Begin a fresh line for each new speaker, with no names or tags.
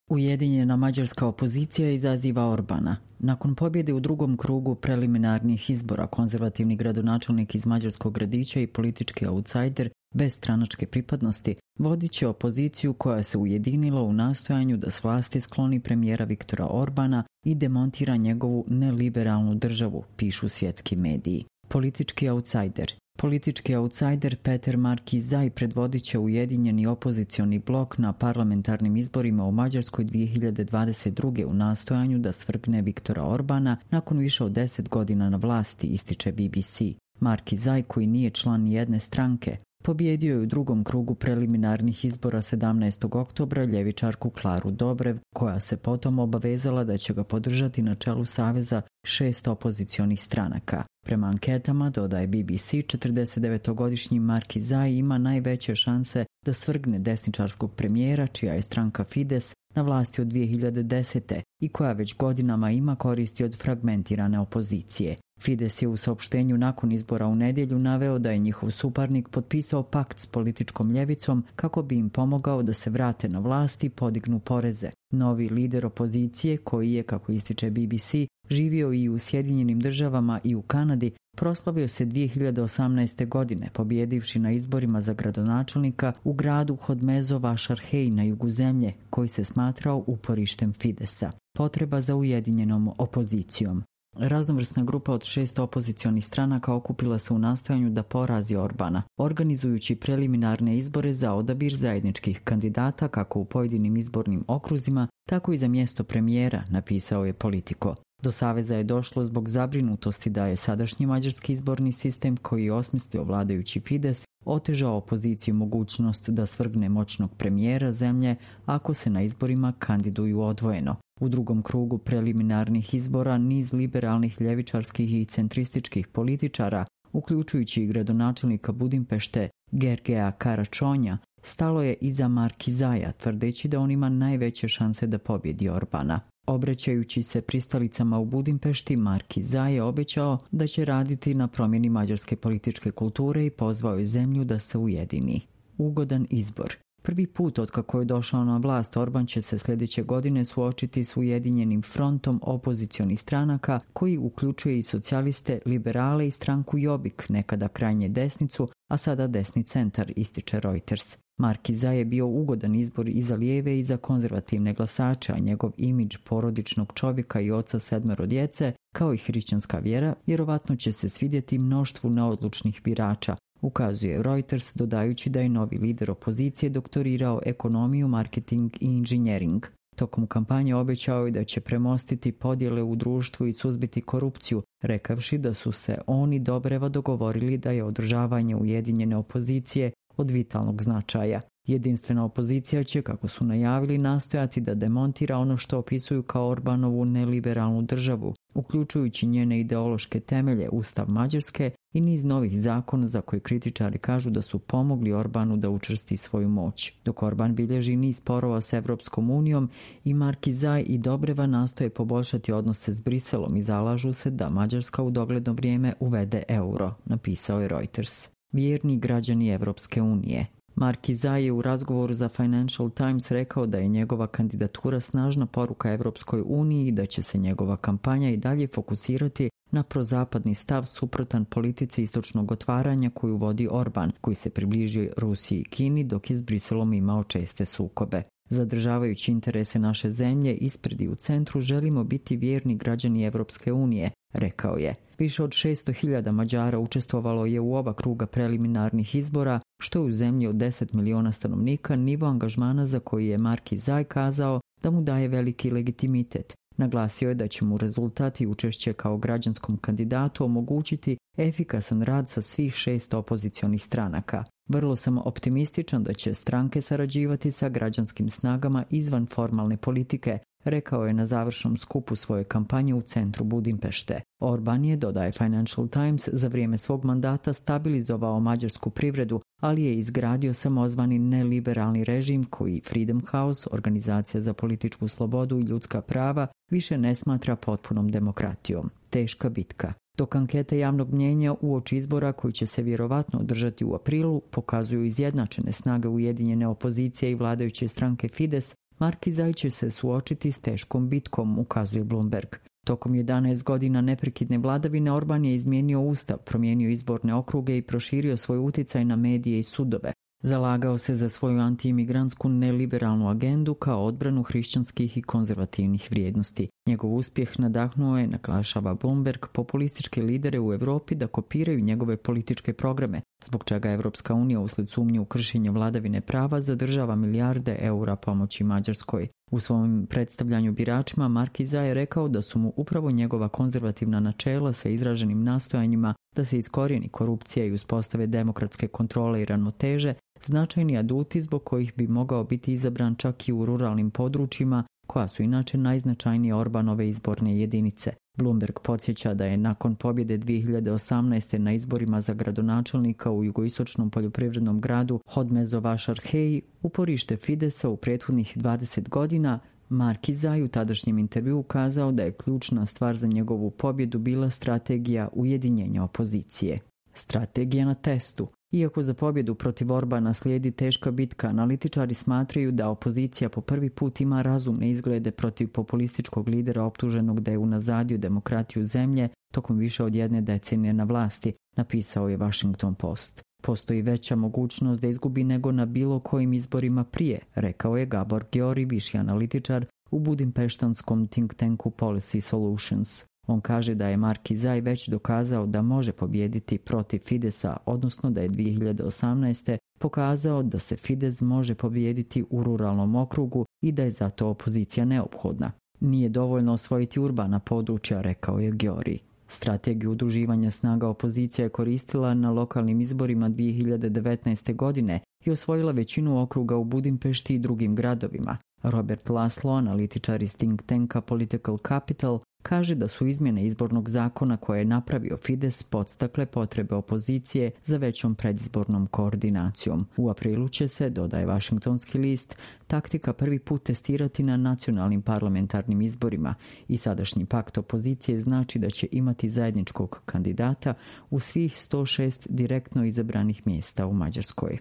Ujedinjena mađarska opozicija izaziva Orbana. Nakon pobjede u drugom krugu preliminarnih izbora, konzervativni gradonačelnik iz mađarskog gradića i politički outsider bez stranačke pripadnosti vodit će opoziciju koja se ujedinila u nastojanju da s vlasti skloni premijera Viktora Orbana i demontira njegovu neliberalnu državu, pišu svjetski mediji. Politički outsider Peter Markizaj predvodit će ujedinjeni opozicioni blok na parlamentarnim izborima u Mađarskoj 2022. u nastojanju da svrgne Viktora Orbana nakon više od 10 godina na vlasti, ističe BBC. Markizaj, koji nije član nijedne stranke, pobjedio je u drugom krugu preliminarnih izbora 17. oktobra ljevičarku Klaru Dobrev, koja se potom obavezala da će ga podržati na čelu saveza 6 opozicionih stranaka. Prema anketama, dodaje BBC, 49-godišnji Markizaj ima najveće šanse da svrgne desničarskog premijera, čija je stranka Fides na vlasti od 2010. i koja već godinama ima koristi od fragmentirane opozicije. Fides je u saopštenju nakon izbora u nedjelju naveo da je njihov suparnik potpisao pakt s političkom ljevicom kako bi im pomogao da se vrate na vlast i podignu poreze. Novi lider opozicije, koji je, kako ističe BBC, živio i u Sjedinjenim državama i u Kanadi, proslavio se 2018. godine, pobjedivši na izborima za gradonačelnika u gradu Hodmezo Vašarhej na jugu zemlje, koji se smatrao uporištem Fidesa. Potreba za ujedinjenom opozicijom. Raznovrsna grupa od 6 opozicionih stranaka okupila se u nastojanju da porazi Orbana, organizujući preliminarne izbore za odabir zajedničkih kandidata kako u pojedinim izbornim okruzima, tako i za mjesto premijera, napisao je Politico. Do saveza je došlo zbog zabrinutosti da je sadašnji mađarski izborni sistem, koji je osmislio vladajući Fides, otežao opoziciju mogućnost da svrgne moćnog premijera zemlje ako se na izborima kandiduju odvojeno. U drugom krugu preliminarnih izbora niz liberalnih, ljevičarskih i centrističkih političara, uključujući i gradonačelnika Budimpešte Gergeja Karačonja, stalo je iza Markizaja, tvrdeći da on ima najveće šanse da pobjedi Orbana. Obraćajući se pristalicama u Budimpešti, Markizaj je obećao da će raditi na promjeni mađarske političke kulture i pozvao je zemlju da se ujedini. Ugodan izbor. Prvi put otkako je došao na vlast, Orban će se sljedeće godine suočiti s ujedinjenim frontom opozicionih stranaka koji uključuje i socijaliste, liberale i stranku Jobbik, nekada krajnje desnicu, a sada desni centar, ističe Reuters. Markizaj je bio ugodan izbor i za lijeve i za konzervativne glasače, a njegov imidž porodičnog čovjeka i oca 7 djece, kao i hrišćanska vjera, vjerovatno će se svidjeti mnoštvu neodlučnih birača, ukazuje Reuters, dodajući da je novi lider opozicije doktorirao ekonomiju, marketing i inženjering. Tokom kampanje obećao je da će premostiti podjele u društvu i suzbiti korupciju, rekavši da su se on i Dobreva dogovorili da je održavanje ujedinjene opozicije od vitalnog značaja. Jedinstvena opozicija će, kako su najavili, nastojati da demontira ono što opisuju kao Orbanovu neliberalnu državu, uključujući njene ideološke temelje, Ustav Mađarske i niz novih zakona za koje kritičari kažu da su pomogli Orbanu da učvrsti svoju moć. Dok Orban bilježi niz sporova s Evropskom unijom, i Markizaj i Dobreva nastoje poboljšati odnose s Briselom i zalažu se da Mađarska u dogledno vrijeme uvede euro, napisao je Reuters. Vjerni građani Evropske unije. Markizaj je u razgovoru za Financial Times rekao da je njegova kandidatura snažna poruka Evropskoj uniji i da će se njegova kampanja i dalje fokusirati na prozapadni stav suprotan politici istočnog otvaranja koju vodi Orban, koji se približio Rusiji i Kini dok je s Briselom imao česte sukobe. Zadržavajući interese naše zemlje ispred i u centru, želimo biti vjerni građani Evropske unije, rekao je. Više od 600.000 Mađara učestvovalo je u oba kruga preliminarnih izbora, što je u zemlji od 10 miliona stanovnika nivo angažmana za koji je Markizaj kazao da mu daje veliki legitimitet. Naglasio je da će mu rezultat i učešće kao građanskom kandidatu omogućiti efikasan rad sa svih 6 opozicionih stranaka. Vrlo sam optimističan da će stranke sarađivati sa građanskim snagama izvan formalne politike, rekao je na završnom skupu svoje kampanje u centru Budimpešte. Orban je, dodaje Financial Times, za vrijeme svog mandata stabilizovao mađarsku privredu, ali je izgradio samozvani neliberalni režim koji Freedom House, organizacija za političku slobodu i ljudska prava, više ne smatra potpunom demokratijom. Teška bitka. Dok ankete javnog mnjenja uoči izbora koji će se vjerovatno održati u aprilu pokazuju izjednačene snage ujedinjene opozicije i vladajuće stranke Fides, Markizaj će se suočiti s teškom bitkom, ukazuje Bloomberg. Tokom 11 godina neprekidne vladavine Orban je izmijenio ustav, promijenio izborne okruge i proširio svoj utjecaj na medije i sudove. Zalagao se za svoju antiimigrantsku neliberalnu agendu kao odbranu hrišćanskih i konzervativnih vrijednosti. Njegov uspjeh nadahnuo je, naglašava Bloomberg, populističke lidere u Europi da kopiraju njegove političke programe, zbog čega Evropska unija uslijed sumnje u kršenje vladavine prava zadržava milijarde eura pomoći Mađarskoj. U svom predstavljanju biračima Markizaj je rekao da su mu upravo njegova konzervativna načela sa izraženim nastojanjima da se iskorijeni korupcija i uspostave demokratske kontrole i ravnoteže značajni aduti zbog kojih bi mogao biti izabran čak i u ruralnim područjima koja su inače najznačajnije Orbanove izborne jedinice. Bloomberg podsjeća da je nakon pobjede 2018. na izborima za gradonačelnika u jugoistočnom poljoprivrednom gradu Hodmezovašarhej uporište Fidesa u prethodnih 20 godina, Markizaj u tadašnjem intervjuu ukazao da je ključna stvar za njegovu pobjedu bila strategija ujedinjenja opozicije. Strategija na testu. Iako za pobjedu protiv Orbana slijedi teška bitka, analitičari smatraju da opozicija po prvi put ima razumne izglede protiv populističkog lidera optuženog da je unazadio demokratiju zemlje tokom više od 1 decenije na vlasti, napisao je Washington Post. Postoji veća mogućnost da izgubi nego na bilo kojim izborima prije, rekao je Gabor Gyori, viši analitičar u budimpeštanskom think tanku Policy Solutions. On kaže da je Markizaj već dokazao da može pobijediti protiv Fidesa, odnosno da je 2018. pokazao da se Fides može pobijediti u ruralnom okrugu i da je zato opozicija neophodna. Nije dovoljno osvojiti urbana područja, rekao je Gyori. Strategiju udruživanja snaga opozicija je koristila na lokalnim izborima 2019. godine i osvojila većinu okruga u Budimpešti i drugim gradovima. Robert Laszlo, analitičar iz think tanka Political Capital, kaže da su izmjene izbornog zakona koje je napravio Fides podstakle potrebe opozicije za većom predizbornom koordinacijom. U aprilu će se, dodaje Washingtonski list, taktika prvi put testirati na nacionalnim parlamentarnim izborima i sadašnji pakt opozicije znači da će imati zajedničkog kandidata u svih 106 direktno izabranih mjesta u Mađarskoj.